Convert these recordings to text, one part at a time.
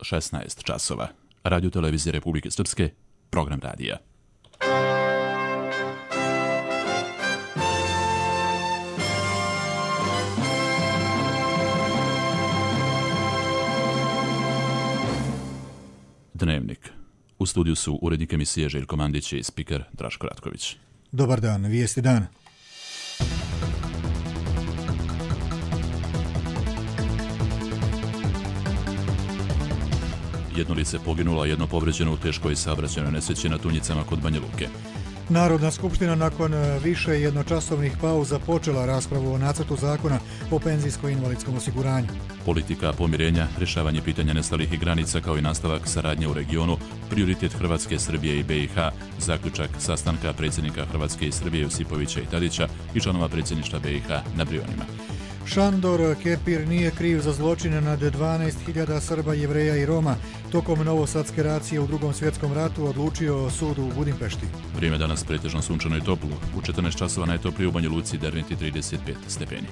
16 časova. Radio Televizije Republike Srpske, program radija. Dnevnik. U studiju su urednik emisije Željko Mandić i spiker Draško Ratković. Dobar dan, vijesti dana. Jedno lice poginulo, a jedno povređeno u teškoj saobraćajnoj nesreći na Tunjicama kod Banja Luke. Narodna skupština nakon više jednočasovnih pauza počela raspravu o nacrtu zakona o penzijsko-invalidskom osiguranju. Politika pomirenja, rješavanje pitanja nestalih i granica kao i nastavak saradnje u regionu, prioritet Hrvatske, Srbije i BiH, zaključak sastanka predsjednika Hrvatske i Srbije Josipovića i Tadića i članova predsjedništva BiH na Brionima. Šandor Kepir nije kriv za zločine nad 12.000 Srba, Jevreja i Roma. Tokom novosadske racije u Drugom svjetskom ratu odlučio sud u Budimpešti. Vrijeme danas pretežno sunčano i toplo. U 14 časova najtoplije u Banja Luci, Derventi 35 stepeni.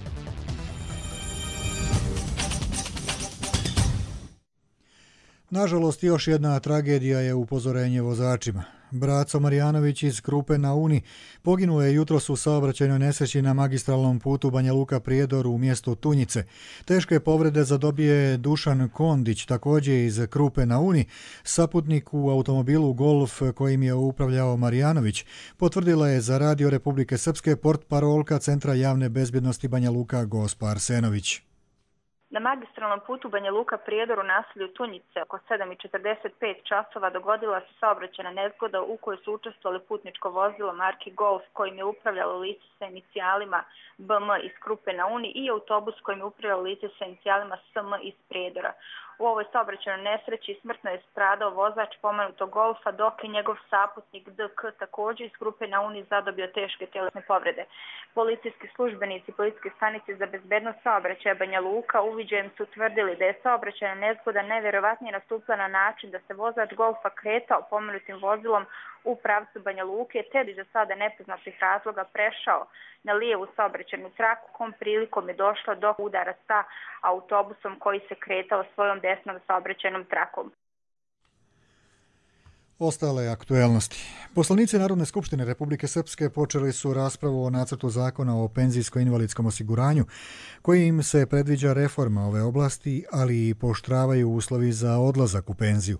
Nažalost, još jedna tragedija je upozorenje vozačima. Braco Marjanović iz Krupe na Uni poginuo je jutros u saobraćajnoj nesreći na magistralnom putu Banja Luka-Prijedor u mjestu Tunjice. Teške povrede zadobije Dušan Kondić, također iz Krupe na Uni, saputnik u automobilu Golf kojim je upravljao Marjanović, potvrdila je za Radio Republike Srpske portparolka Centra javne bezbjednosti Banja Luka Gospa Arsenović. Na magistralnom putu Banja Luka Prijedor u naselju Tunjice oko 7:45 časova dogodila se saobraćajna nezgoda u kojoj su učestvovali putničko vozilo marki Golf kojim je upravljalo lice sa inicijalima BM iz Krupe na Uni i autobus kojim je upravljalo lice sa inicijalima SM iz Prijedora. U ovoj saobraćajnoj nesreći smrtno je stradao vozač pomenutog Golfa, dok je njegov saputnik DK također iz Krupe na Uni zadobio teške tjelesne povrede. Policijski službenici Policijske stanice za bezbednost saobraćaja Banja Luka uviđajem su tvrdili da je saobraćajna nezgoda najvjerovatnije nastupila na način da se vozač Golfa kretao pomenutim vozilom u pravcu Banja Luke, te bi za sada nepoznatih razloga prešao na lijevu saobraćajnu traku, kom prilikom je došlo do udara sa autobusom koji se kretao svojom desnom saobraćajnom trakom. Ostale aktuelnosti. Poslanici Narodne skupštine Republike Srpske počeli su raspravu o nacrtu zakona o penzijsko-invalidskom osiguranju, kojim se predviđa reforma ove oblasti, ali i pooštravaju uslovi za odlazak u penziju.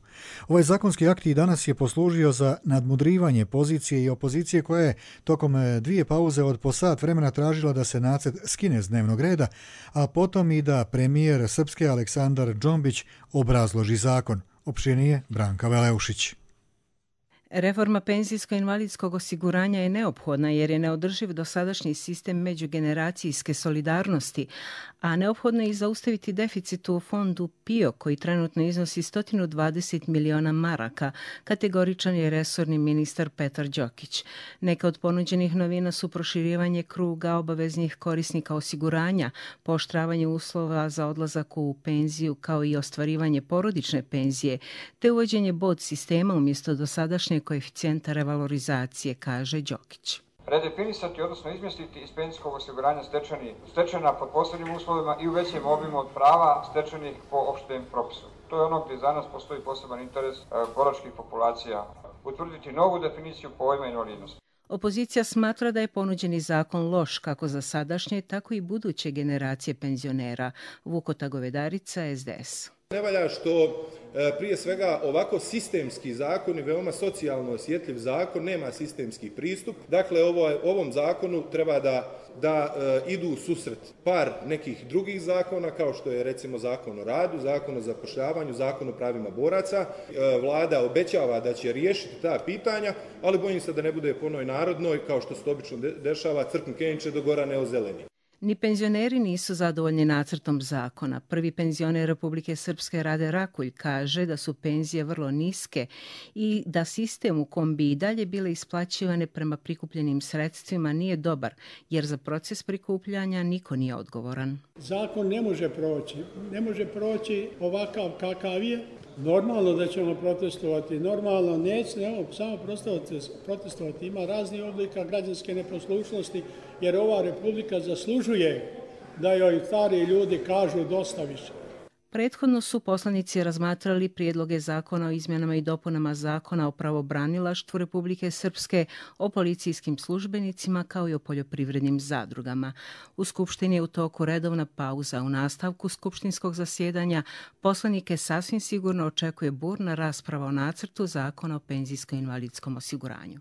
Ovaj zakonski akt i danas je poslužio za nadmudrivanje pozicije i opozicije koja je tokom dvije pauze od po sat vremena tražila da se nacrt skine s dnevnog reda, a potom i da premijer Srpske Aleksandar Džombić obrazloži zakon. Opširnije Branka Veleušić. Reforma penzijsko-invalidskog osiguranja je neophodna jer je neodrživ dosadašnji sistem međugeneracijske solidarnosti, a neophodno je i zaustaviti deficit u fondu PIO koji trenutno iznosi 120 miliona maraka, kategoričan je resorni ministar Petar Đokić. Neka od ponuđenih novina su proširivanje kruga obaveznih korisnika osiguranja, pooštravanje uslova za odlazak u penziju kao i ostvarivanje porodične penzije, te uvođenje bod sistema umjesto dosadašnje koeficijenta revalorizacije, kaže Đokić. Redefinisati, odnosno izmjestiti iz penzijskog osiguranja stečena pod posebnim uslovima i u većem obimu od prava stečenih po opštem propisu. To je ono gdje za nas postoji poseban interes boračkih populacija. Utvrditi novu definiciju pojma invalidnosti. Opozicija smatra da je ponuđeni zakon loš kako za sadašnje, tako i buduće generacije penzionera. Vukota Govedarica, SDS. Ne valja što prije svega ovako sistemski zakon i veoma socijalno osjetljiv zakon nema sistemski pristup. Dakle, ovom zakonu treba da idu u susret par nekih drugih zakona kao što je recimo zakon o radu, zakon o zapošljavanju, zakon o pravima boraca. Vlada obećava da će riješiti ta pitanja, ali bojim se da ne bude po onoj narodnoj kao što se obično dešava, crknu kenče do gora ne ozeleni. Ni penzioneri nisu zadovoljni nacrtom zakona. Prvi penzioner Republike Srpske Rade Rakulj kaže da su penzije vrlo niske i da sistem u kom bi i dalje bile isplaćivane prema prikupljenim sredstvima nije dobar, jer za proces prikupljanja niko nije odgovoran. Zakon ne može proći ovakav kakav je. Normalno da ćemo protestovati, normalno nećemo samo protestovati. Ima raznih oblika građanske neposlušnosti, jer ova republika zaslužuje da joj stari ljudi kažu dosta više. Prethodno su poslanici razmatrali prijedloge zakona o izmjenama i dopunama zakona o pravobranilaštvu Republike Srpske, o policijskim službenicima kao i o poljoprivrednim zadrugama. U Skupštini je u toku redovna pauza. U nastavku skupštinskog zasjedanja poslanike sasvim sigurno očekuje burna rasprava o nacrtu zakona o penzijsko-invalidskom osiguranju.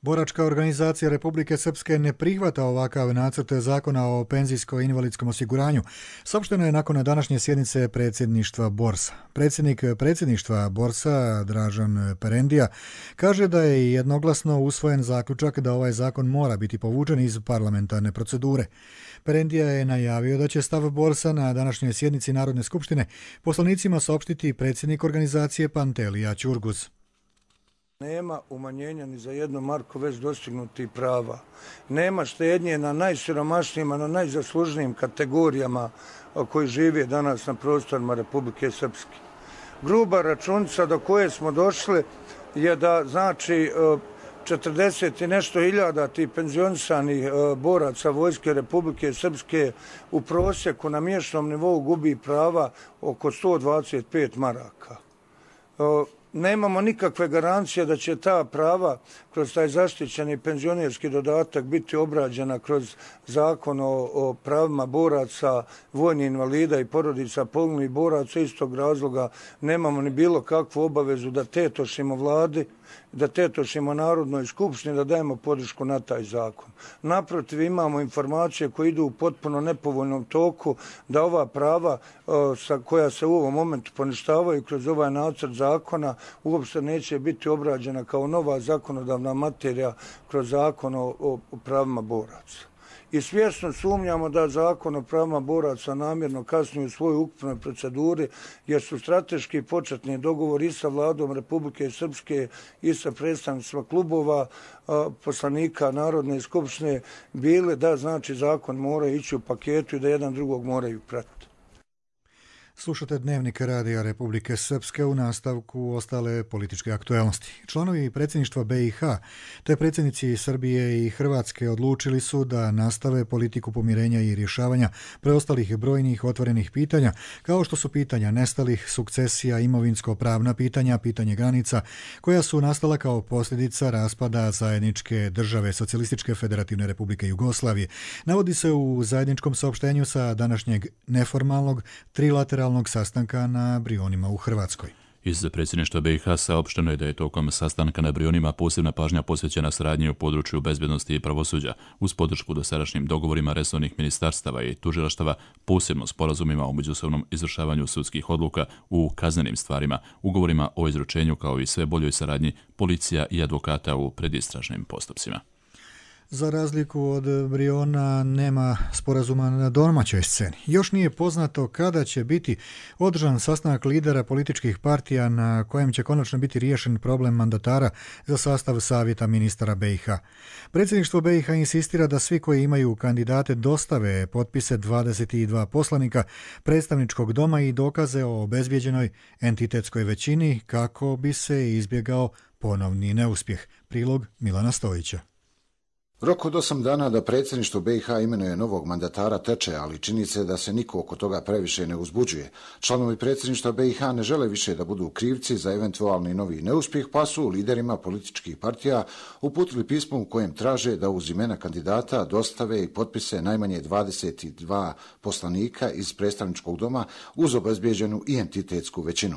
Boračka organizacija Republike Srpske ne prihvata ovakav nacrt zakona o penzijsko-invalidskom osiguranju. Saopšteno je nakon današnje sjednice predsjedništva Borsa. Predsjednik predsjedništva Borsa, Dražan Perendija, kaže da je jednoglasno usvojen zaključak da ovaj zakon mora biti povučen iz parlamentarne procedure. Perendija je najavio da će stav Borsa na današnjoj sjednici Narodne skupštine poslanicima saopštiti predsjednik organizacije Pantelija Ćurguz. Nema umanjenja ni za 1 marku već dostignutih prava. Nema štednje na najsiromašnijima, na najzaslužnijim kategorijama koji žive danas na prostorima Republike Srpske. Gruba računica do koje smo došli je da znači 40 i nešto hiljada tih penzionisanih boraca Vojske Republike Srpske u prosjeku na mjesečnom nivou gubi prava oko 125 maraka. Nemamo nikakve garancije da će ta prava kroz taj zaštićeni penzionerski dodatak biti obrađena kroz zakon o pravima boraca, vojnih invalida i porodica poginulih boraca. Istog razloga nemamo ni bilo kakvu obavezu da tetošimo vladi, da tetošimo Narodnoj skupštini, da dajemo podršku na taj zakon. Naprotiv, imamo informacije koje idu u potpuno nepovoljnom toku da ova prava koja se u ovom momentu poništavaju kroz ovaj nacrt zakona uopšte neće biti obrađena kao nova zakonodavna materija kroz zakon o pravima boraca. I svjesno sumnjamo da zakon o pravima boraca namjerno kasni u svojoj ukupnoj proceduri, jer su strateški početni dogovori i sa vladom Republike Srpske i sa predstavnicima klubova poslanika Narodne skupštine bile da znači zakon mora ići u paketu i da jedan drugog moraju pratiti. Slušate Dnevnik radija Republike Srpske, u nastavku ostale političke aktuelnosti. Članovi predsjedništva BiH te predsjednici Srbije i Hrvatske odlučili su da nastave politiku pomirenja i rješavanja preostalih brojnih otvorenih pitanja, kao što su pitanja nestalih, sukcesija, imovinsko-pravna pitanja, pitanje granica, koja su nastala kao posljedica raspada zajedničke države Socijalističke federativne Republike Jugoslavije. Navodi se u zajedničkom saopštenju sa današnjeg neformalnog trilateralnog sastanka na Brionima u Hrvatskoj. Iz predsjedništva BiH saopšteno je da je tokom sastanka na Brionima posebna pažnja posvećena saradnji u području bezbjednosti i pravosuđa, uz podršku dosadašnjim dogovorima resornih ministarstava i tužilaštava, posebno sporazumima o međusobnom izvršavanju sudskih odluka u kaznenim stvarima, ugovorima o izručenju kao i sve boljoj saradnji policija i advokata u predistražnim postupcima. Za razliku od Briona nema sporazuma na domaćoj sceni. Još nije poznato kada će biti održan sastanak lidera političkih partija na kojem će konačno biti riješen problem mandatara za sastav savjeta ministara BiH. Predsjedništvo BiH insistira da svi koji imaju kandidate dostave potpise 22 poslanika predstavničkog doma i dokaze o obezbijeđenoj entitetskoj većini kako bi se izbjegao ponovni neuspjeh. Prilog Milana Stojića. Rok od 8 dana da predsjedništvo BiH imenuje novog mandatara teče, ali čini se da se niko oko toga previše ne uzbuđuje. Članovi predsjedništva BiH ne žele više da budu krivci za eventualni novi neuspjeh, pa su liderima političkih partija uputili pismo u kojem traže da uz imena kandidata dostave i potpise najmanje 22 poslanika iz predstavničkog doma uz obezbijeđenu i entitetsku većinu.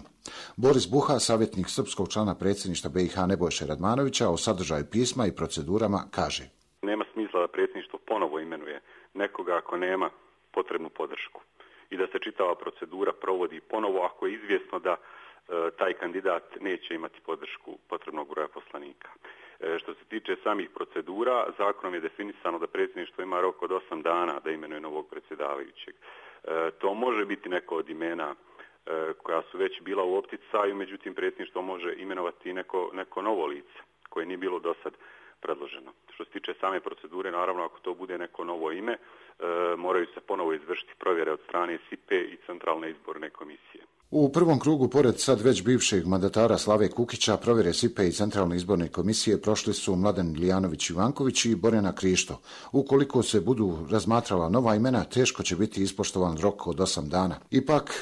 Boris Buha, savjetnik srpskog člana predsjedništva BiH Nebojše Radmanovića, o sadržaju pisma i procedurama kaže: Nema smisla da predsjedništvo ponovo imenuje nekoga ako nema potrebnu podršku i da se čitava procedura provodi ponovo ako je izvjesno da taj kandidat neće imati podršku potrebnog broja poslanika. Što se tiče samih procedura, zakonom je definisano da predsjedništvo ima rok od 8 dana da imenuje novog predsjedavajućeg. To može biti neko od imena koja su već bila u opticaju, međutim predsjedništvo može imenovati neko novo lice koje nije bilo do sad predloženo. Što se tiče same procedure, naravno ako to bude neko novo ime, moraju se ponovo izvršiti provjere od strane SIPE i Centralne izborne komisije. U prvom krugu, pored sad već bivšeg mandatara Slave Kukića, provjere SIPE i Centralne izborne komisije prošli su Mladen Ilijanović-Ivanković i Borjana Krišto. Ukoliko se budu razmatrala nova imena, teško će biti ispoštovan rok od 8 dana. Ipak,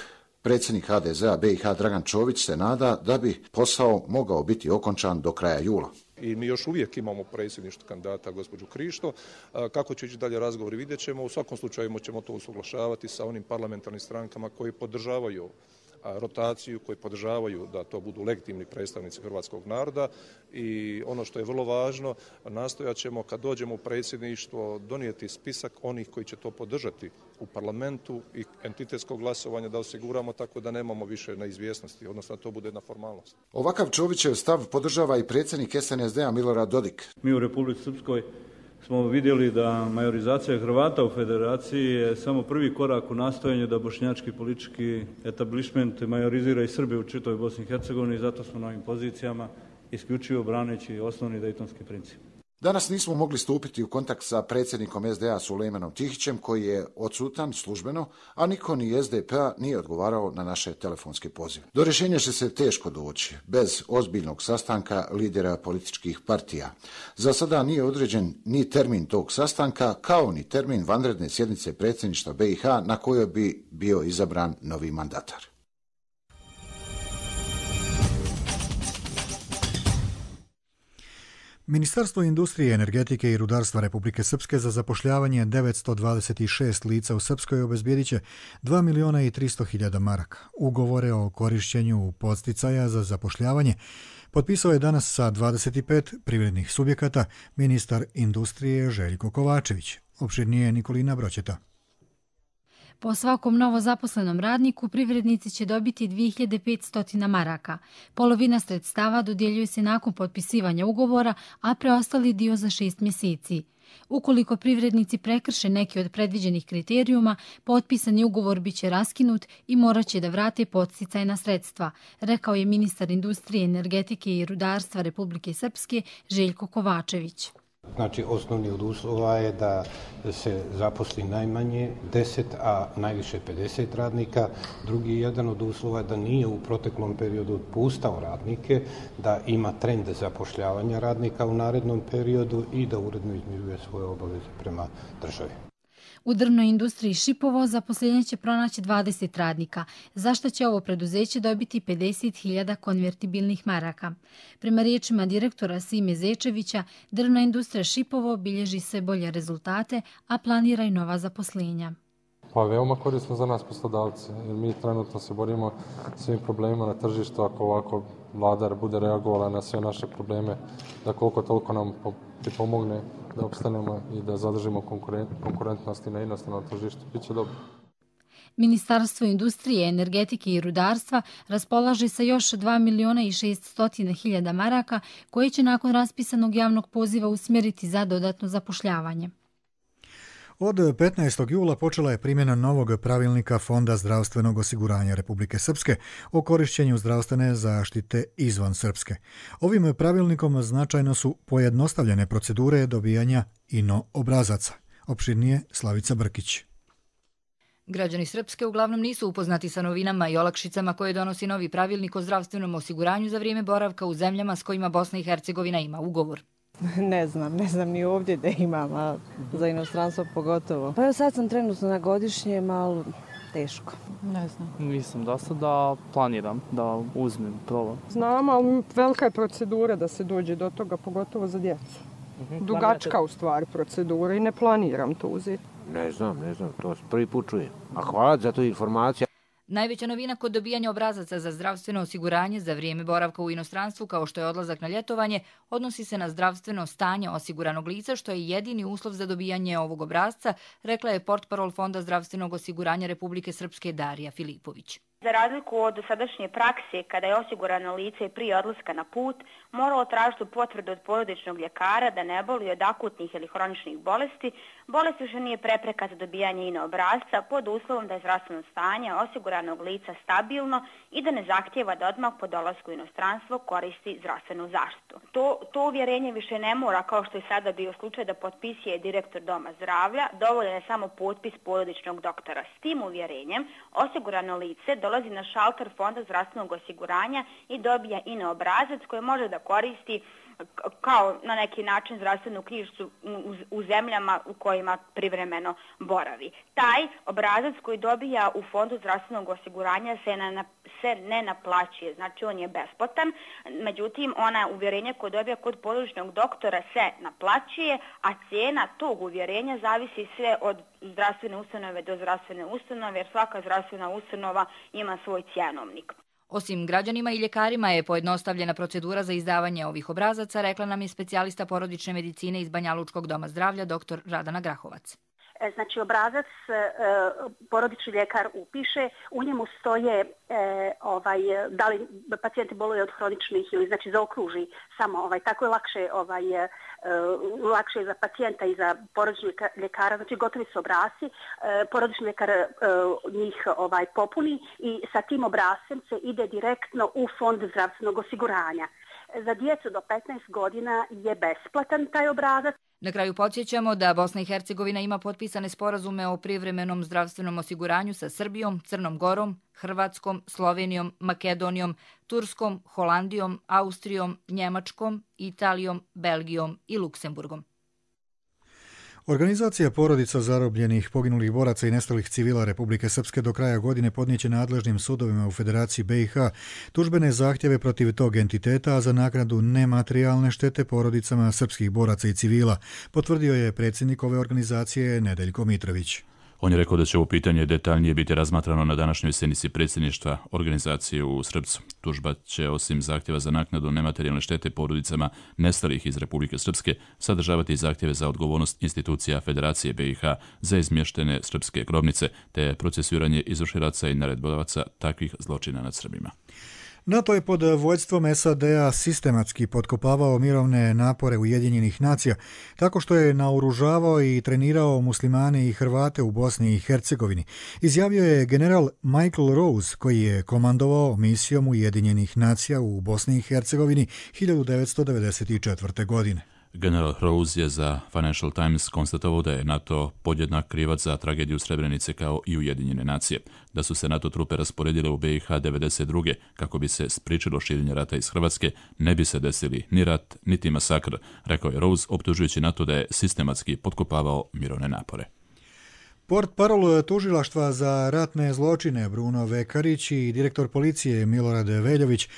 predsjednik HDZ-a BiH Dragan Čović se nada da bi posao mogao biti okončan do kraja jula. I mi još uvijek imamo predsjedništvo kandidata gospođu Krišto. Kako će ići dalje razgovori, vidjet ćemo. U svakom slučaju ćemo to usuglašavati sa onim parlamentarnim strankama koji podržavaju rotaciju, koji podržavaju da to budu legitimni predstavnici hrvatskog naroda i ono što je vrlo važno, nastojat ćemo kad dođemo u predsjedništvo donijeti spisak onih koji će to podržati u parlamentu i entitetskog glasovanja da osiguramo tako da nemamo više neizvjesnosti, odnosno da to bude jedna formalnost. Ovakav Čovićev stav podržava i predsjednik SNSD-a Milorad Dodik. Mi u Republici Srpskoj smo vidjeli da majorizacija Hrvata u federaciji je samo prvi korak u nastojanju da bošnjački politički etablišment majorizira i Srbe u čitavoj Bosni i Hercegovini i zato smo na ovim pozicijama isključivo braneći osnovni dejtonski princip. Danas nismo mogli stupiti u kontakt sa predsjednikom SDA Sulejmanom Tihićem, koji je odsutan službeno, a niko ni SDP-a nije odgovarao na naše telefonske pozive. Do rješenja će se teško doći, bez ozbiljnog sastanka lidera političkih partija. Za sada nije određen ni termin tog sastanka, kao ni termin vanredne sjednice predsjedništva BiH na kojoj bi bio izabran novi mandatar. Ministarstvo industrije, energetike i rudarstva Republike Srpske za zapošljavanje 926 lica u Srpskoj obezbijedit će 2.300.000 maraka. Ugovore o korišćenju podsticaja za zapošljavanje potpisao je danas sa 25 privrednih subjekata ministar industrije Željko Kovačević. Opširnije Nikolina Broćeta. Po svakom novozaposlenom radniku privrednici će dobiti 2500 maraka. Polovina sredstava dodjeljuje se nakon potpisivanja ugovora, a preostali dio za 6 mjeseci. Ukoliko privrednici prekrše neki od predviđenih kriterijuma, potpisani ugovor biće raskinut i morat će da vrate podsticajna sredstva, rekao je ministar industrije, energetike i rudarstva Republike Srpske Željko Kovačević. Znači, osnovni od uslova je da se zaposli najmanje 10, a najviše 50 radnika. Drugi jedan od uslova je da nije u proteklom periodu otpuštao radnike, da ima trend zapošljavanja radnika u narednom periodu i da uredno izmiruje svoje obaveze prema državi. U drvnoj industriji Šipovo zaposlenje će pronaći 20 radnika, za što će ovo preduzeće dobiti 50.000 konvertibilnih maraka. Prema riječima direktora Sime Zečevića, drvna industrija Šipovo bilježi sve bolje rezultate, a planira i nova zaposlenja. Pa veoma korisno za nas poslodavce, jer mi trenutno se borimo s ovim problemima na tržištu, ako ovako vlada bude reagovala na sve naše probleme, da koliko toliko nam pomogne da opstanemo i da zadržimo konkurentnost i na inostranom tržištu. Biće dobro. Ministarstvo industrije, energetike i rudarstva raspolaže sa još 2.600.000 maraka koje će nakon raspisanog javnog poziva usmjeriti za dodatno zapošljavanje. Od 15. jula počela je primjena novog pravilnika Fonda zdravstvenog osiguranja Republike Srpske o korišćenju zdravstvene zaštite izvan Srpske. Ovim pravilnikom značajno su pojednostavljene procedure dobijanja INO obrazaca. Opširnije Slavica Brkić. Građani Srpske uglavnom nisu upoznati sa novinama i olakšicama koje donosi novi pravilnik o zdravstvenom osiguranju za vrijeme boravka u zemljama s kojima Bosna i Hercegovina ima ugovor. Ne znam ni ovdje da imam, a za inostranstvo pogotovo. Pa evo sad sam trenutno na godišnjem, ali teško. Ne znam. Nisam do sada, planiram da uzmem, probam. Znam, ali velika je procedura da se dođe do toga, pogotovo za djecu. Dugačka u stvari procedura i ne planiram to uzeti. Ne znam, to prvi put čujem. A hvala za tu informaciju. Najveća novina kod dobijanja obrazaca za zdravstveno osiguranje za vrijeme boravka u inostranstvu, kao što je odlazak na ljetovanje, odnosi se na zdravstveno stanje osiguranog lica, što je jedini uslov za dobijanje ovog obrazca, rekla je portparol Fonda zdravstvenog osiguranja Republike Srpske Darija Filipović. Za razliku od dosadašnje prakse, kada je osigurano lice prije odlaska na put moralo tražiti potvrdu od porodičnog ljekara da ne boluje od akutnih ili hroničnih bolesti, bolest više nije prepreka za dobijanje INO obrasca pod uslovom da je zdravstveno stanje osiguranog lica stabilno i da ne zahtijeva da odmah po dolasku u inostranstvo koristi zdravstvenu zaštitu. To uvjerenje više ne mora, kao što je sada bio slučaj, da potpisuje direktor Doma zdravlja, dovoljan je samo potpis porodičnog doktora. S tim uvjerenjem osigurano lice dolazi dolazi na šalter Fonda zdravstvenog osiguranja i dobija INE obrazac koji može da koristi kao na neki način zdravstvenu knjižicu u zemljama u kojima privremeno boravi. Taj obrazac koji dobija u Fondu zdravstvenog osiguranja se ne naplaćuje, znači on je besplatan, međutim ona uvjerenja koje dobija kod područnog doktora se naplaćuje, a cijena tog uvjerenja zavisi sve od zdravstvene ustanove do zdravstvene ustanove, jer svaka zdravstvena ustanova ima svoj cjenovnik. Osim građanima i ljekarima je pojednostavljena procedura za izdavanje ovih obrazaca, rekla nam je specijalista porodične medicine iz Banjalučkog doma zdravlja dr. Radana Grahovac. Znači obrazac porodični ljekar upiše, u njemu stoje da li pacijenti boluju od hroničnih ili znači zaokruži samo tako je lakše za pacijenta i za porodičnog ljekara, znači gotovi su obrasci, porodični ljekar njih popuni i sa tim obrascem se ide direktno u Fond zdravstvenog osiguranja. Za djecu do 15 godina je besplatan taj obrazac. Na kraju podsjećamo da Bosna i Hercegovina ima potpisane sporazume o privremenom zdravstvenom osiguranju sa Srbijom, Crnom Gorom, Hrvatskom, Slovenijom, Makedonijom, Turskom, Holandijom, Austrijom, Njemačkom, Italijom, Belgijom i Luksemburgom. Organizacija porodica zarobljenih, poginulih boraca i nestalih civila Republike Srpske do kraja godine podnijeće nadležnim sudovima u Federaciji BiH tužbene zahtjeve protiv tog entiteta, a za naknadu nematerijalne štete porodicama srpskih boraca i civila, potvrdio je predsjednik ove organizacije Nedeljko Mitrović. On je rekao da će ovo pitanje detaljnije biti razmatrano na današnjoj sjednici predsjedništva organizacije u Srpcu. Tužba će osim zahtjeva za naknadu nematerijalne štete porodicama nestalih iz Republike Srpske sadržavati i zahtjeve za odgovornost institucija Federacije BiH za izmještene srpske grobnice te procesuiranje izvršilaca i naredbovaca takvih zločina nad Srbima. NATO je pod vođstvom SAD-a sistematski potkopavao mirovne napore Ujedinjenih nacija tako što je naoružavao i trenirao muslimane i Hrvate u Bosni i Hercegovini, izjavio je general Michael Rose, koji je komandovao misijom Ujedinjenih nacija u Bosni i Hercegovini 1994. godine. General Rose je za Financial Times konstatovao da je NATO podjednak krivac za tragediju Srebrenice kao i Ujedinjene nacije, da su se NATO trupe rasporedile u BiH 1992. kako bi se spriječilo širenje rata iz Hrvatske, ne bi se desili ni rat, niti masakr, rekao je Rose, optužujući NATO da je sistematski potkopavao mirovne napore. Portparol tužilaštva za ratne zločine Bruno Vekarić i direktor policije Milorad Veljović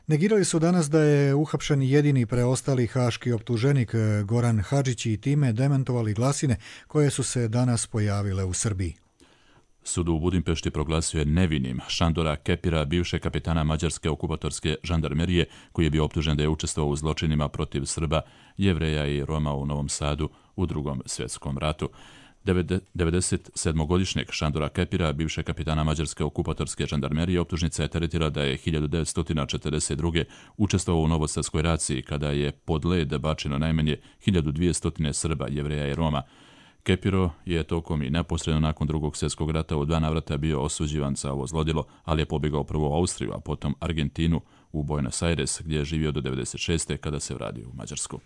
negirali su danas da je uhapšen jedini preostali haški optuženik Goran Hadžić i time demantovali glasine koje su se danas pojavile u Srbiji. Sud u Budimpešti proglasio je nevinim Šandora Kepira, bivšeg kapetana mađarske okupatorske žandarmerije, koji je bio optužen da je učestvovao u zločinima protiv Srba, Jevreja i Roma u Novom Sadu u Drugom svjetskom ratu. 97-godišnjeg Šandora Kepira, bivšeg kapitana mađarske okupatorske žandarmerije, optužnica je teretila da je 1942. učestvovao u Novosadskoj raciji kada je pod led bačeno najmanje 1200 Srba, Jevreja i Roma. Kepiro je tokom i neposredno nakon Drugog svjetskog rata u 2 navrata bio osuđivan za ovo zlodjelo, ali je pobjegao prvo u Austriju, a potom Argentinu, u Buenos Aires, gdje je živio do 1996. kada se vratio u Mađarsku.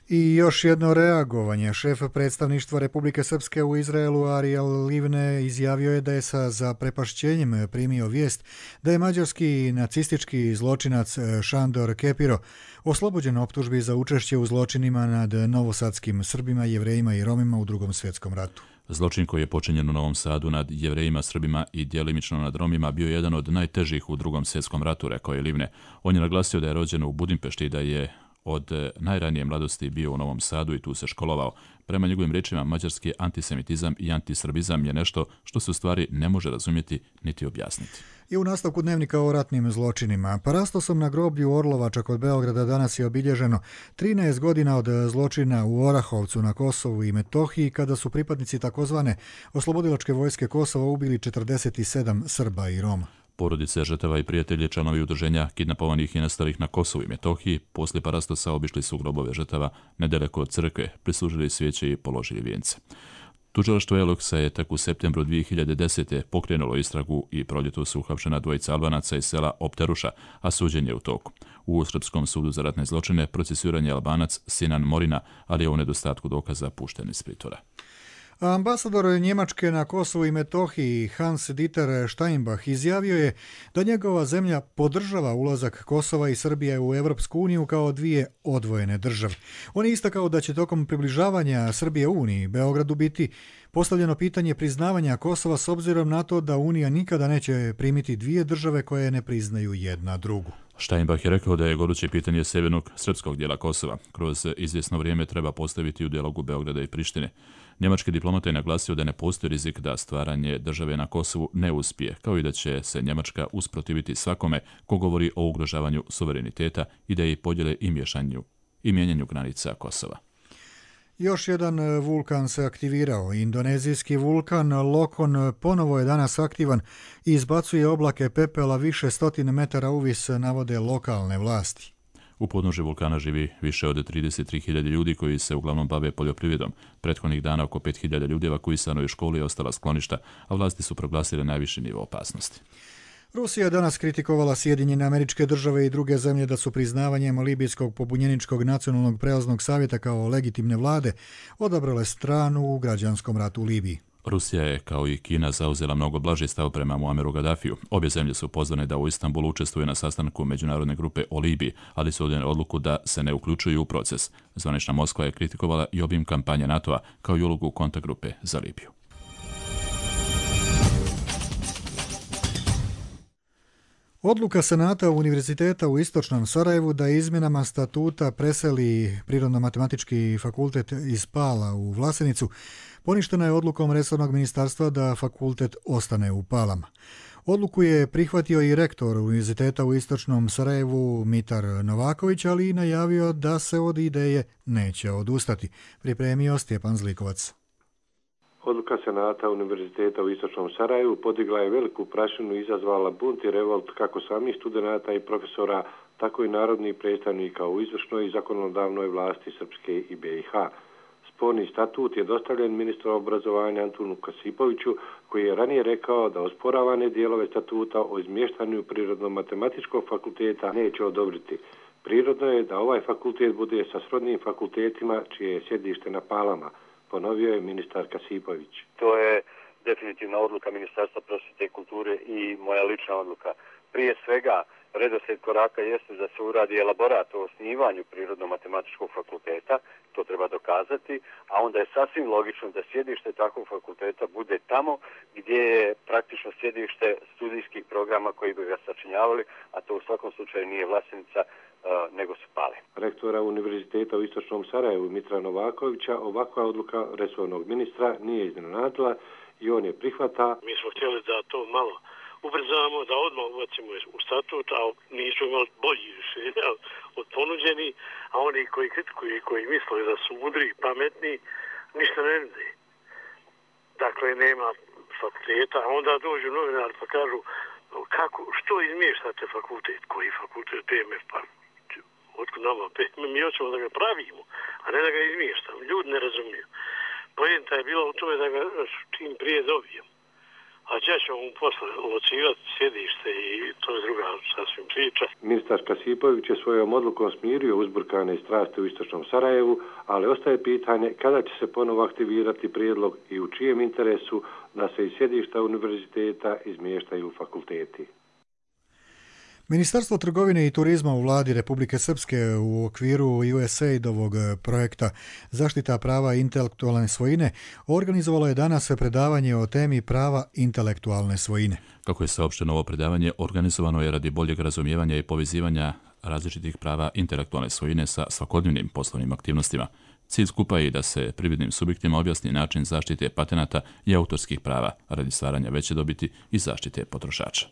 I još jedno reagovanje. Šef predstavništva Republike Srpske u Izraelu Ariel Livne izjavio je da je sa zaprepašćenjem primio vijest da je mađarski nacistički zločinac Šandor Kepiro oslobođen optužbi za učešće u zločinima nad novosadskim Srbima, Jevrejima i Romima u Drugom svjetskom ratu. Zločin koji je počinjen u Novom Sadu nad Jevrejima, Srbima i djelimično nad Romima bio jedan od najtežih u Drugom svjetskom ratu, rekao je Livne. On je naglasio da je rođen u Budimpešti i da je od najranije mladosti bio u Novom Sadu i tu se školovao. Prema njegovim riječima, mađarski antisemitizam i antisrbizam je nešto što se u stvari ne može razumjeti niti objasniti. I u nastavku dnevnika o ratnim zločinima. Parastosom na groblju Orlovača kod Beograda danas je obilježeno 13 godina od zločina u Orahovcu na Kosovu i Metohiji, kada su pripadnici takozvane oslobodilačke vojske Kosova ubili 47 Srba i Roma. Porodice žrtava i prijatelji, članovi udruženja kidnapovanih i nestalih na Kosovu i Metohiji, poslije parastosa obišli su grobove žrtava nedaleko od crkve, prislužili svijeće i položili vijence. Tužilaštvo Eloksa je tek u septembru 2010. pokrenulo istragu i proljetos su uhapšena dvojica Albanaca iz sela Opteruša, a suđenje je u toku. U Srpskom sudu za ratne zločine procesuiran je Albanac Sinan Morina, ali je u nedostatku dokaza pušten iz pritvora. Ambasador Njemačke na Kosovu i Metohiji Hans Dieter Steinbach izjavio je da njegova zemlja podržava ulazak Kosova i Srbije u Europsku uniju kao dvije odvojene države. On je istakao da će tokom približavanja Srbije Uniji Beogradu biti postavljeno pitanje priznavanja Kosova s obzirom na to da Unija nikada neće primiti dvije države koje ne priznaju jedna drugu. Steinbach je rekao da je goruće pitanje sjevernog srpskog dijela Kosova kroz izvjesno vrijeme treba postaviti u dijalogu Beograda i Prištine. Njemački diplomata je naglasio da ne postoji rizik da stvaranje države na Kosovu ne uspije, kao i da će se Njemačka usprotiviti svakome ko govori o ugrožavanju suvereniteta, ideji podjele i mijenjanju granica Kosova. Još jedan vulkan se aktivirao. Indonezijski vulkan Lokon ponovo je danas aktivan i izbacuje oblake pepela više stotine metara uvis, navode lokalne vlasti. U podnožju vulkana živi više od 33.000 ljudi koji se uglavnom bave poljoprivredom. Prethodnih dana oko 5.000 ljudi evakuisano je školi i ostala skloništa, a vlasti su proglasile najviši nivo opasnosti. Rusija je danas kritikovala Sjedinjene Američke Države i druge zemlje da su priznavanjem Libijskog pobunjeničkog nacionalnog prelaznog savjeta kao legitimne vlade odabrale stranu u građanskom ratu u Libiji. Rusija je, kao i Kina, zauzela mnogo blaži stav prema Muameru Gaddafiju. Obje zemlje su pozvane da u Istanbulu učestvuju na sastanku međunarodne grupe o Libiji, ali su odjeli odluku da se ne uključuju u proces. Zvanična Moskva je kritikovala i obim kampanje NATO-a, kao i ulogu kontaktgrupe za Libiju. Odluka Senata Univerziteta u Istočnom Sarajevu da izmjenama statuta preseli Prirodno-matematički fakultet iz Pala u Vlasenicu poništena je odlukom resornog ministarstva da fakultet ostane u Palama. Odluku je prihvatio i rektor Univerziteta u Istočnom Sarajevu Mitar Novaković, ali i najavio da se od ideje neće odustati. Pripremio Stjepan Zlikovac. Odluka Senata Univerziteta u Istočnom Sarajevu podigla je veliku prašinu i izazvala bunt i revolt kako samih studenata i profesora, tako i narodnih predstavnika u izvršnoj i zakonodavnoj vlasti Srpske i BiH. Sporni statut je dostavljen ministru obrazovanja Antunu Kasipoviću, koji je ranije rekao da osporavane dijelove statuta o izmještanju Prirodno-matematičkog fakulteta neće odobriti. Prirodno je da ovaj fakultet bude sa srodnim fakultetima čije je sjedište na Palama, ponovio je ministar Kasipović. To je definitivna odluka Ministarstva prosvjete i kulture i moja lična odluka. Prije svega, redoslijed koraka jeste da se uradi elaborat o osnivanju Prirodno-matematičkog fakulteta, to treba dokazati, a onda je sasvim logično da sjedište takvog fakulteta bude tamo gdje je praktično sjedište studijskih programa koji bi ga sačinjavali, a to u svakom slučaju nije Vlasenica, nego su Pale. Rektora Univerziteta u Istočnom Sarajevu Mitra Novakovića ovakva odluka resornog ministra nije iznenadila i on je prihvata. Mi smo htjeli da to malo ubrzamo, da odmah ubacimo u statut, a nisu imali bolji rješenja od ponuđeni, a oni koji kritikuju i koji misle da su mudri i pametni, ništa ne vide. Dakle, nema fakulteta, a onda dođu novinari pa kažu što izmještate fakultet, koji fakultet, PMF, pa otkud nama PMF, mi hoćemo da ga pravimo, a ne da ga izmještamo. Ljudi ne razumiju. Poenta je bila u tome da ga čim prije dobijemo. A gdje ćemo mu posle locirati sjedište i to je druga sasvim priča. Ministar Kasipović je svojom odlukom smirio uzburkane strasti u Istočnom Sarajevu, ali ostaje pitanje kada će se ponovo aktivirati prijedlog i u čijem interesu da se iz sjedišta univerziteta izmještaju fakulteti. Ministarstvo trgovine i turizma u vladi Republike Srpske u okviru USAID-ovog projekta Zaštita prava intelektualne svojine organizovalo je danas predavanje o temi prava intelektualne svojine. Kako je saopšteno, ovo predavanje organizovano je radi boljeg razumijevanja i povezivanja različitih prava intelektualne svojine sa svakodnevnim poslovnim aktivnostima. Cilj skupa je da se privrednim subjektima objasni način zaštite patenata i autorskih prava radi stvaranja veće dobiti i zaštite potrošača.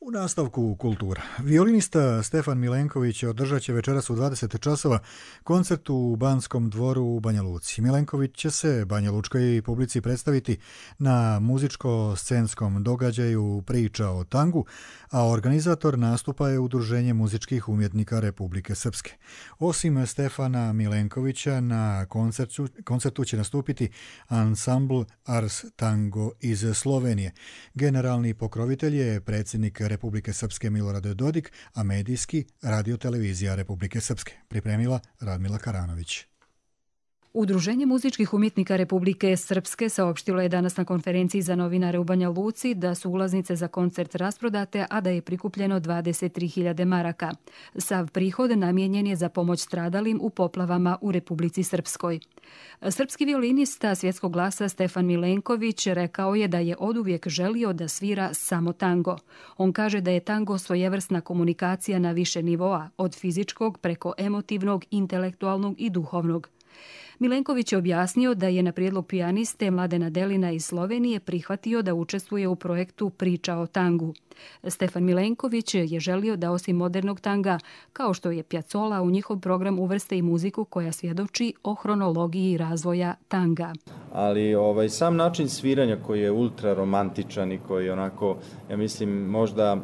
U nastavku kultura. Violinista Stefan Milenković održat će večeras u 20 časova koncert u Banskom dvoru u Banja Luci. Milenković će se banjalučkoj publici predstaviti na muzičko-scenskom događaju Priča o tangu, a organizator nastupa je Udruženje muzičkih umjetnika Republike Srpske. Osim Stefana Milenkovića, na koncertu će nastupiti ansambl Ars Tango iz Slovenije. Generalni pokrovitelj je predsjednik Republike Srpske Milorad Dodik, a medijski Radio televizija Republike Srpske. Pripremila Radmila Karanović. Udruženje muzičkih umjetnika Republike Srpske saopštilo je danas na konferenciji za novinare u Banja Luci da su ulaznice za koncert rasprodate, a da je prikupljeno 23.000 maraka. Sav prihod namijenjen je za pomoć stradalim u poplavama u Republici Srpskoj. Srpski violinista svjetskog glasa Stefan Milenković rekao je da je oduvijek želio da svira samo tango. On kaže da je tango svojevrsna komunikacija na više nivoa, od fizičkog preko emotivnog, intelektualnog i duhovnog. Milenković je objasnio da je na prijedlog pijaniste Mladena Delina iz Slovenije prihvatio da učestvuje u projektu Priča o tangu. Stefan Milenković je želio da osim modernog tanga, kao što je Piazzolla, u njihov program uvrste i muziku koja svjedoči o hronologiji razvoja tanga. Ali sam način sviranja koji je ultra romantičan i koji je onako, ja mislim, možda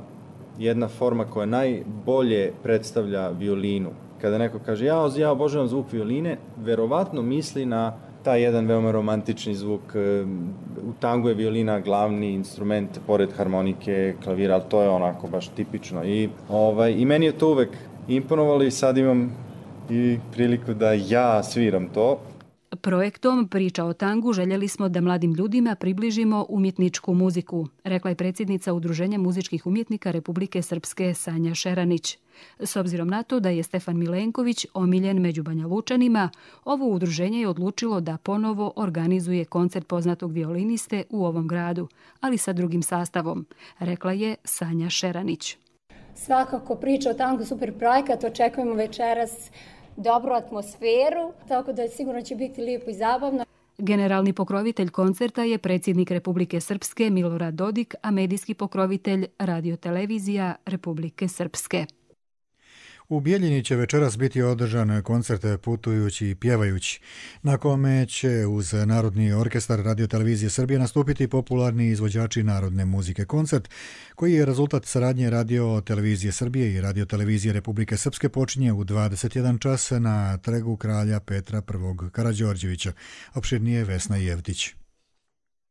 jedna forma koja najbolje predstavlja violinu. Kada neko kaže ja obožavam zvuk violine, verovatno misli na taj jedan veoma romantični zvuk. U tangu je violina glavni instrument, pored harmonike, klavira, ali to je onako baš tipično. I meni je to uvek imponovalo i sad imam i priliku da ja sviram to. Projektom Priča o tangu željeli smo da mladim ljudima približimo umjetničku muziku, rekla je predsjednica Udruženja muzičkih umjetnika Republike Srpske Sanja Šeranić. S obzirom na to da je Stefan Milenković omiljen među Banja Lučanima, ovo udruženje je odlučilo da ponovo organizuje koncert poznatog violiniste u ovom gradu, ali sa drugim sastavom, rekla je Sanja Šeranić. Svakako Priča o tangu super projekat, očekujemo večeras dobru atmosferu, tako da sigurno će biti lijepo i zabavno. Generalni pokrovitelj koncerta je predsjednik Republike Srpske Milorad Dodik, a medijski pokrovitelj Radiotelevizija Republike Srpske. U Bijeljini će večeras biti održan koncert Putujući i pjevajući, na kome će uz Narodni orkestar Radiotelevizije Srbije nastupiti popularni izvođači narodne muzike. Koncert, koji je rezultat saradnje Radiotelevizije Srbije i Radiotelevizije Republike Srpske, počinje u 21 čas na Trgu kralja Petra I. Karađorđevića. Opširnije Vesna Jevtić.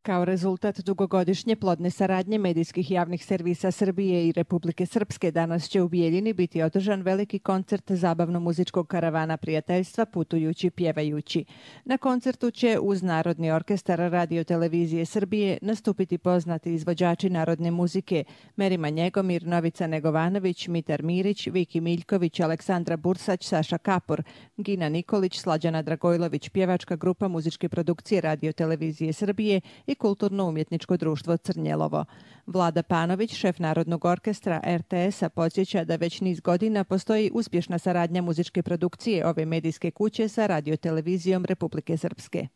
Kao rezultat dugogodišnje plodne saradnje medijskih javnih servisa Srbije i Republike Srpske, danas će u Bijeljini biti održan veliki koncert zabavno-muzičkog karavana prijateljstva Putujući pjevajući. Na koncertu će uz Narodni orkestar Radiotelevizije Srbije nastupiti poznati izvođači narodne muzike Merima Njegomir, Novica Negovanović, Mitar Mirić, Viki Miljković, Aleksandra Bursać, Saša Kapor, Gina Nikolić, Slađana Dragojlović, pjevačka grupa muzičke produkcije Radiotelevizije Srbije i Kulturno-umjetničko društvo Crnjelovo. Vlada Panović, šef Narodnog orkestra RTS-a, podsjeća da već niz godina postoji uspješna saradnja muzičke produkcije ove medijske kuće sa Radiotelevizijom Republike Srpske.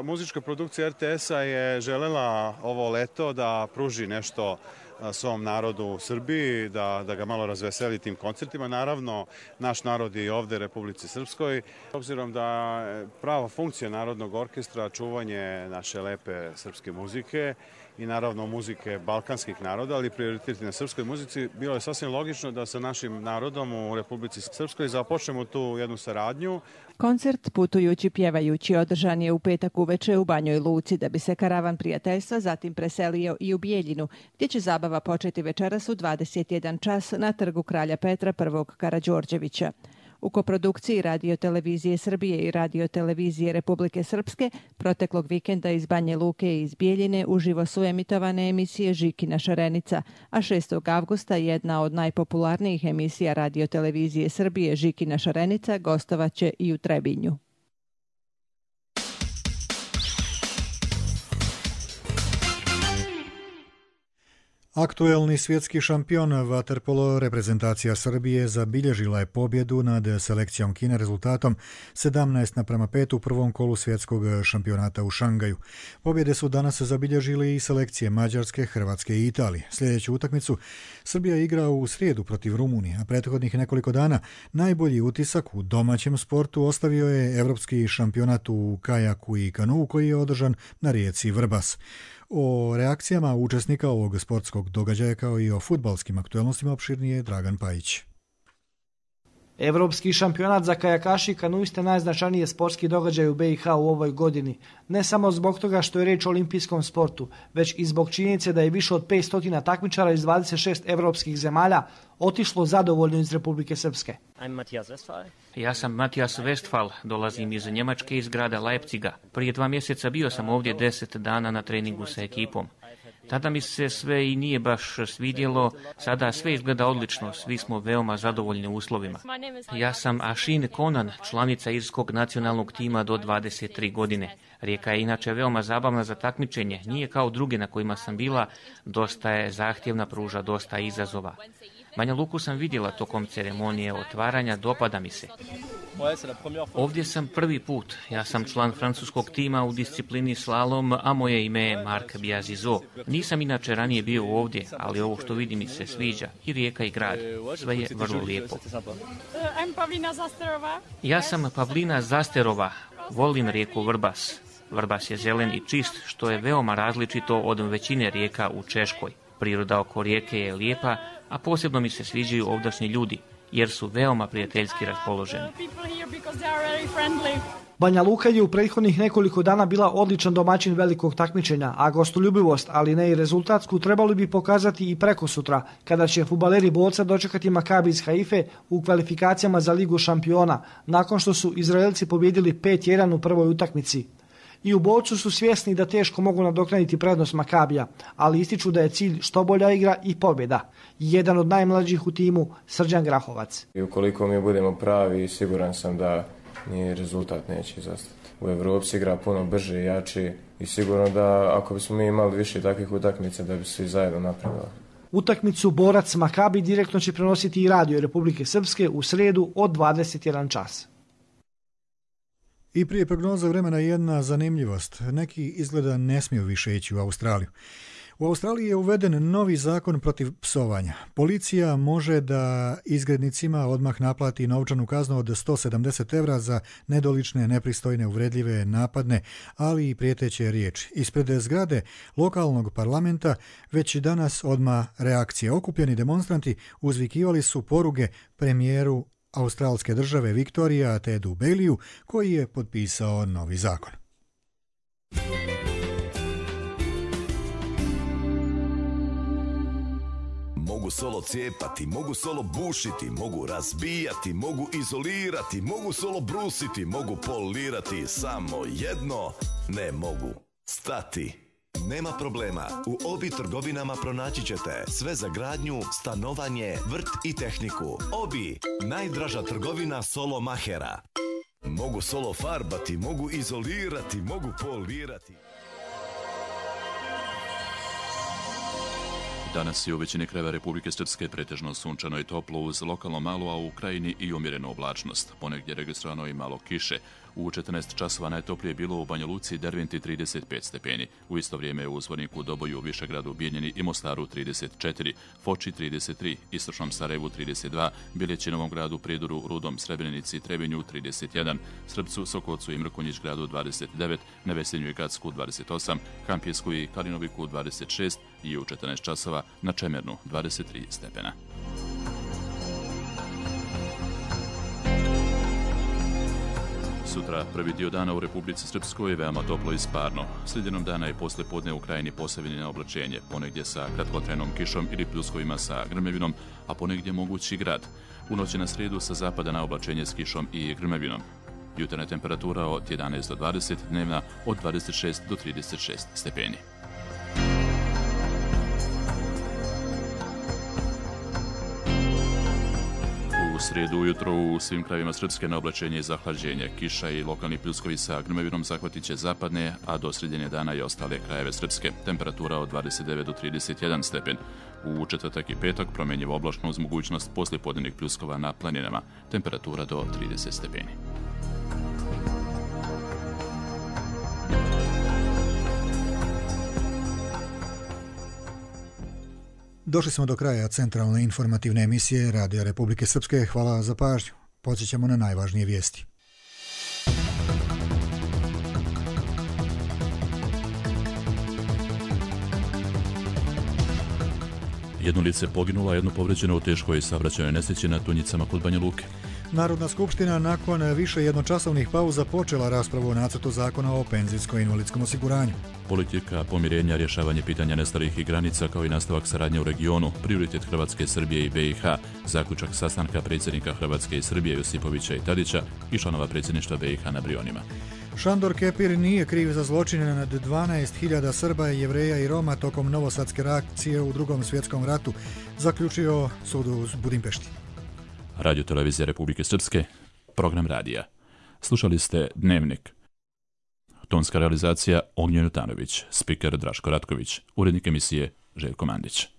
Muzička produkcija RTS-a je želela ovo leto da pruži nešto svom narodu u Srbiji, da ga malo razveseli tim koncertima. Naravno, naš narod je i ovde u Republici Srpskoj. Obzirom da prava funkcija Narodnog orkestra čuvanje naše lepe srpske muzike i naravno muzike balkanskih naroda, ali prioriteti na srpskoj muzici, bilo je sasvim logično da sa našim narodom u Republici Srpskoj započnemo tu jednu saradnju. Koncert Putujući pjevajući održan je u petak uveče u Banjoj Luci, da bi se karavan prijateljstva zatim preselio i u Bijeljinu, gdje će zabava početi večeras u 21 čas na Trgu kralja Petra I. Karađorđevića. U koprodukciji Radiotelevizije Srbije i Radiotelevizije Republike Srpske proteklog vikenda iz Banje Luke i iz Bijeljine uživo su emitovane emisije Žikina šarenica, a 6. avgusta jedna od najpopularnijih emisija Radiotelevizije Srbije, Žikina šarenica, gostovaće i u Trebinju. Aktuelni svjetski šampion vaterpolo reprezentacija Srbije zabilježila je pobjedu nad selekcijom Kine rezultatom 17:5 u prvom kolu svjetskog šampionata u Šangaju. Pobjede su danas zabilježili i selekcije Mađarske, Hrvatske i Italije. Sljedeću utakmicu Srbija igra u srijedu protiv Rumunije, a prethodnih nekoliko dana najbolji utisak u domaćem sportu ostavio je evropski šampionat u kajaku i kanuu koji je održan na rijeci Vrbas. O reakcijama učesnika ovog sportskog događaja kao i o fudbalskim aktuelnostima opširnije Dragan Pajić. Evropski šampionat za kajakaši i kanuiste najznačajnije sportski događaj u BiH u ovoj godini. Ne samo zbog toga što je reč o olimpijskom sportu, već i zbog činjenice da je više od 500 takmičara iz 26 evropskih zemalja otišlo zadovoljno iz Republike Srpske. Ja sam Matijas Westphal, dolazim iz Njemačke, iz grada Leipziga. Prije 2 mjeseca bio sam ovdje 10 dana na treningu sa ekipom. Tada mi se sve i nije baš svidjelo, sada sve izgleda odlično, svi smo veoma zadovoljni uslovima. Ja sam Ashin Konan, članica irskog nacionalnog tima do 23 godine. Rijeka je inače veoma zabavna za takmičenje, nije kao druge na kojima sam bila, dosta je zahtjevna, pruža dosta izazova. Banja Luku sam vidjela tokom ceremonije otvaranja, dopada mi se. Ovdje sam prvi put, ja sam član francuskog tima u disciplini slalom, a moje ime je Marc Biazizo. Nisam inače ranije bio ovdje, ali ovo što vidim mi se sviđa, i rijeka i grad, sve je vrlo lijepo. Ja sam Pavlina Zasterova, volim rijeku Vrbas. Vrbas je zelen i čist, što je veoma različito od većine rijeka u Češkoj. Priroda oko rijeke je lijepa, a posebno mi se sviđaju ovdašnji ljudi, jer su veoma prijateljski raspoloženi. Banja Luka je u prethodnih nekoliko dana bila odličan domaćin velikog takmičenja, a gostoljubivost, ali ne i rezultatsku, trebali bi pokazati i prekosutra, kada će fudbaleri Boca dočekati Makabi iz Haife u kvalifikacijama za Ligu šampiona, nakon što su Izraelci pobjedili 5-1 u prvoj utakmici. I u Bocu su svjesni da teško mogu nadoknaditi prednost Makabija, ali ističu da je cilj što bolja igra i pobjeda. Jedan od najmlađih u timu, Srđan Grahovac. I ukoliko mi budemo pravi, siguran sam da ni rezultat neće izostati. U Evropi se igra puno brže i jače i sigurno da ako bismo mi imali više takvih utakmica da bi svi zajedno napredovali. Utakmicu Borac Makabi direktno će prenositi i radio Republike Srpske u sredu od 21 čas. I prije prognoza vremena jedna zanimljivost. Neki izgleda ne smiju više ići u Australiju. U Australiji je uveden novi zakon protiv psovanja. Policija može da izgrednicima odmah naplati novčanu kaznu od 170 € za nedolične, nepristojne, uvredljive, napadne, ali i prijeteće riječi. Ispred zgrade lokalnog parlamenta već danas odmah reakcije. Okupljeni demonstranti uzvikivali su poruge premijeru australske države Viktorija Tedu Baileyu, koji je potpisao novi zakon. Mogu solo cijepati, mogu solo bušiti, mogu razbijati, mogu izolirati, mogu solo brusiti, mogu polirati, samo jedno ne mogu stati. Nema problema, u Obi trgovinama pronaći ćete sve za gradnju, stanovanje, vrt i tehniku. Obi, najdraža trgovina solo mahera. Mogu solo farbati, mogu izolirati, mogu polirati. Danas je u većini krajeva Republike Srpske pretežno sunčano i toplo uz lokalno malo, a u krajini i umjerenu oblačnost. Ponegdje je registrovano i malo kiše. U 14 časova najtoplije je bilo u Banja Luci i Derventi 35 stepeni. U isto vrijeme u Zvorniku, Doboju, Višegradu, Bijeljini i Mostaru 34, Foči 33, Istočnom Sarajevu 32, Biljeći, Novom Gradu, Prijedoru, Rudom, Srebrenici, Trebinju 31, Srpcu, Sokolcu i Mrkonjić Gradu 29, Nevesinju i Gacku 28, Kampjesku i Kalinoviku 26 i u 14 časova na Čemernu 23 stepena. Sutra prvi dio dana u Republici Srpskoj je veoma toplo i sparno. Sredinom dana i poslije podne u krajini Posavine oblačenje, ponegdje sa kratkotrajnom kišom ili pljuskovima sa grmevinom, a ponegdje mogući grad. U noći na srijedu sa zapada na oblačenje s kišom i grmevinom. Jutarnja temperatura od 11 do 20, dnevna od 26 do 36 stepeni. U srijedu ujutro u svim krajevima Srpske na oblačenje i zahlađenje. Kiša i lokalni pljuskovi sa grmevinom zahvatit će zapadne, a do sredine dana i ostale krajeve Srpske. Temperatura od 29 do 31 stepen. U četvrtak i petak promjenjiva oblačno uz mogućnost poslijepodnevnih pljuskova na planinama. Temperatura do 30 stepeni. Došli smo do kraja centralne informativne emisije Radija Republike Srpske. Hvala za pažnju. Podsjećamo na najvažnije vijesti. Jedno lice poginulo, a jedno povređeno u teškoj saobraćajnoj nesreći na Tunjicama kod Banja Luke. Narodna skupština nakon više jednočasovnih pauza počela raspravu o nacrtu zakona o penzijsko-invalidskom osiguranju. Politika pomirenja, rješavanje pitanja nestalih i granica kao i nastavak saradnje u regionu, prioritet Hrvatske, Srbije i BiH, zaključak sastanka predsjednika Hrvatske i Srbije Josipovića i Tadića i članova predsjedništva BiH na Brionima. Šandor Kepir nije kriv za zločine nad 12.000 Srba, Jevreja i Roma tokom novosadske reakcije u Drugom svjetskom ratu, zaključio sud u Budimpešti. Radio Televizija Republike Srpske, program radija. Slušali ste Dnevnik. Tonska realizacija Ognjen Jutanović, spiker Draško Ratković, urednik emisije Željko Mandić.